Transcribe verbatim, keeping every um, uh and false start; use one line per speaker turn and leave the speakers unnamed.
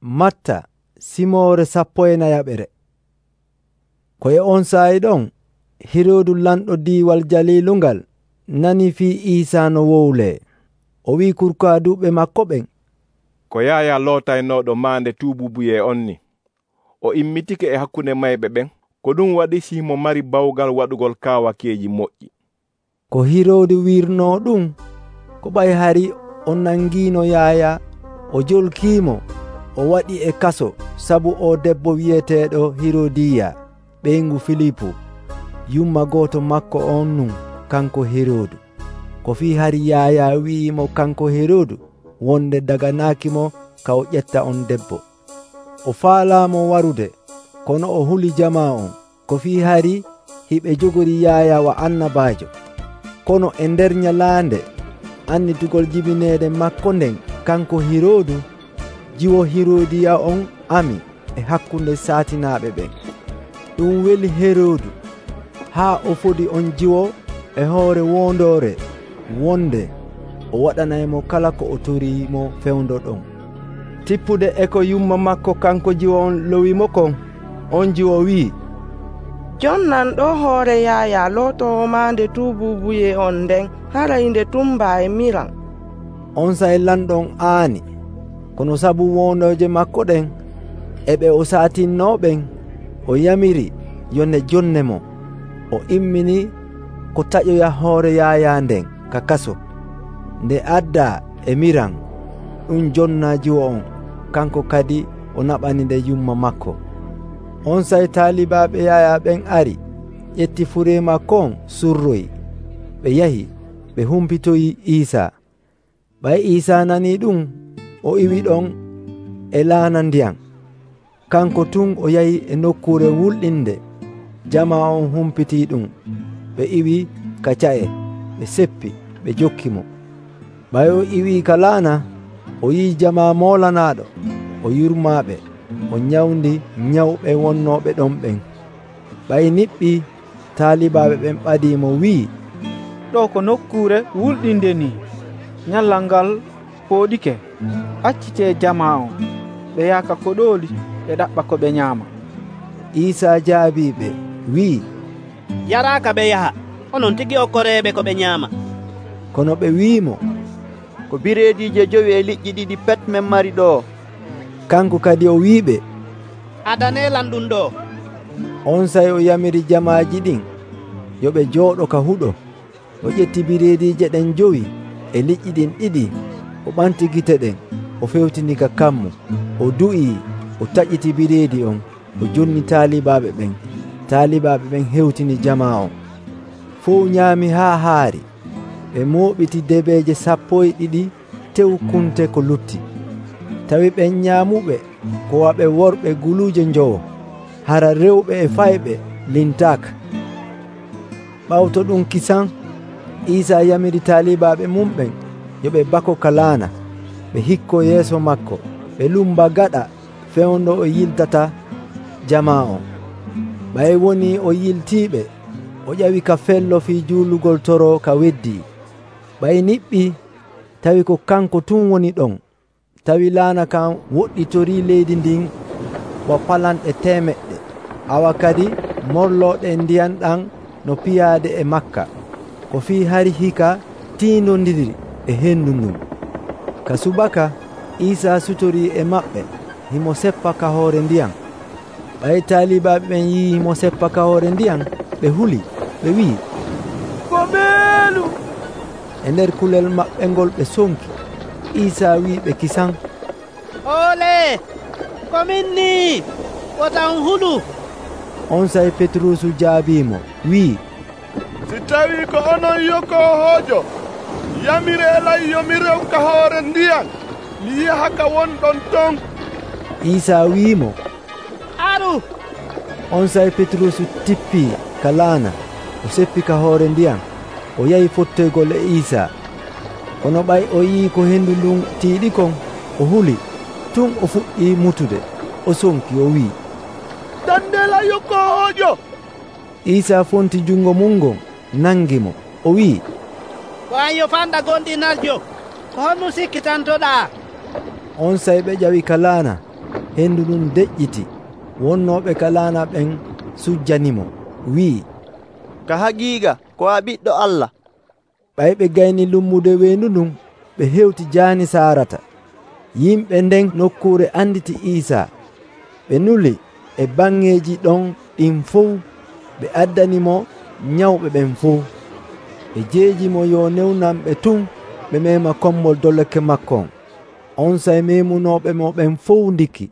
Matta simoore sappo e nayaɓere. Ko e on saa'i ɗon Hiroodu lanɗo diiwal Jalilungal nani fii Iisaa no wowlee. O wi'i kurkaaduɓe maako ɓen,
ko Yaaya lootaynooɗo maande tuububuye on ni, o immitike e hakkunde mayɓe ɓen. Ko ɗum waɗi Siimo mari bawgal waɗugol kaawakeeji moƴƴi.
Ko Hiroodu wiirnoo ɗum ko ɓay hari o nangiino Yaaya, o jolkiimo, o waɗi e kaso sabu o debbo wi'eteeɗo Hirodiya ɓeyngu Filipu. Yumma gooto makko on nun kanko Hiroodu. Ko fii hari Yaaya wi'imo kanko Hiroodu wonde daganaakimo ka o ƴetta on debbo. O faalaamo warude, kono o huli jama on. Ko fii hari hiɓe jogori Yaaya wa annabaajo. Kono e nder nyalaande annitugol jibineede makko nden kanko Hiroodu, jiwo Hirodiya on ami e hakkunde saatinaaɓe ɓen. Ɗum weli Heroodu haa o fodi on jiwo e hoore wondoore wonde o waɗanaymo kala ko o toriimo fewndo ɗon. Tippude e ko yumma makko kanko jiwo on lowimo kon, on jiwo wi'i,
jon nanɗo hoore Yaaya lootowo maande tuububuye on nden haray nde tumba e miran.
On sa'e lanɗon aani, kono sabu wondooje makko ɗen e ɓe o saatinnooɓen, o yamiri yo ne jonnemo. O immini ko taƴoya hoore Yaaya nden ka kaso. Nde addaa e miran, ɗum jonna jiwo on, kanko kadi o naɓani nde yumma makko. On sa'e taalibaaɓe Yaaya ɓen ari, ƴetti fure makko on surroyi. Ɓe yahi ɓe humpitoyi Iisaa. Ɓay Iisaa nanii ɗum, o iwi ɗon e laana ndiyam. Kanko tun o yahi e nokkuure wulɗinde. Jama on humpitii ɗum. Ɓe iwi ka ca'e, ɓe seppi, ɓe jokkimo. Ɓay o iwi ka laana, o yi'i jama moolanaaɗo, o yurmaaɓe, o nyawndi nyawɓe wonnooɓe ɗon ɓen. Ɓay niɓɓi taalibaaɓe ɓen ɓadiimo wi'i,
ɗo ko nokkuure wulɗinde ni, nyallal ngal pooɗike. Accitee jama on, ɓe yaaka koɗooli ɓe ɗaɓɓa ko ɓe nyaama.
Iisaa jaabiiɓe wi'i,
yaraaka ɓe yaha, onon tigi okkoreeɓe ko ɓe nyaama.
Kono ɓe wi'imo,
ko bireediije jowi e liƴƴi ɗiɗi pet men mari ɗo.
Kanko kadi o wi'iɓe,
adaneelan ɗum ɗo.
On sa'e o yamiri jamaaji ɗin yo ɓe jooɗo ka huɗo. O ƴetti bireediije ɗen jowi e liƴƴi ɗin ɗiɗi, o ɓanti gite ɗen, o fewtini ka kammu, o du'ii, o taƴiti bireedi on, o jonni taalibaaɓe ɓen. Taalibaaɓe ɓen hewtini jama on. Fuu nyaami haa haari. Ɓe mooɓiti debeeje sappo e ɗiɗi tew kunte ko lutti. Tawi ɓen nyaamuɓe ko waɓe worɓe guluuje njowo, hara rewɓe e fayɓe lintaaka. Ɓawto ɗum kisan, Iisaa yamiri taalibaaɓe mum ɓen yo ɓe bako ka laana. Ɓe hikko yeeso makko, ɓe lumba gaɗa fewndo o yiltata jama on. Ɓay woni o yiltiiɓe, o ƴawi ka fello fii juulugol toro ka weddii. Ɓay niɓɓi tawi ko kanko tun woni ɗon. Tawi laana kan woɗɗitorii leydi ndin bo palanɗe temeɗɗe, awa kadi morlooɗe ndiyam ɗam no piyaade e Makka. Ko fii hari hika tiindondiri e henndu ndun. Ka subaka Iisaa sutorii e maɓɓe, himo seppa ka hoore ndiyam. Ɓay taalibaaɓe ɓen yii himo seppa ka hoore ndiyam, ɓe huli, ɓe wi'i,
ko beelu.
E nder kulel maɓɓe ngol ɓe sonki. Iisaa wi'i ɓe kisan,
ole ko min ni, wotan hulu.
On sa'e Petrusu jaabiimo wi'i,
si tawi ko onon yokkoohoojo, yamire lay yomi rew ka hoore ndiyam, mi yaha ka wonɗon ton.
Iisaa wi'imo,
aru.
On sa'e Petrusu tippii ka laana, o seppi ka hoore ndiyam, o yahi fottoygol e Iisaa. Kono ɓay o yii ko henndu ndun tiiɗi kon, o huli. Tun o fuɗɗii mutude, o sonki, o wi'i,
dandela yokkoojo.
Iisaa fonti jungo mum ngon, nangimo, o wi'i,
ko an yo fanɗa gonɗinaljo, ko honno sikkitantoɗaa?
On sa'e ɓe ƴawi ka laana, hendu ndun deƴƴiti. Wonnooɓe ka laana ɓen sujjanimo, wi'i,
ka haqiiqa ko a Ɓiɗɗo Allah.
Ɓay ɓe gayni lummude weendu ndun, ɓe hewti jaani Saarata. Yimɓe nden nokkuure anditi Iisaa. Ɓe nuli e bangeeji ɗon ɗin fuu, ɓe addanimo nyawɓe ɓen fuu. Ɓe jeejimo yo newnanɓe tun ɓe meema kombol doleke makko on. On sey meemunooɓe mo ɓen fuu ndiki.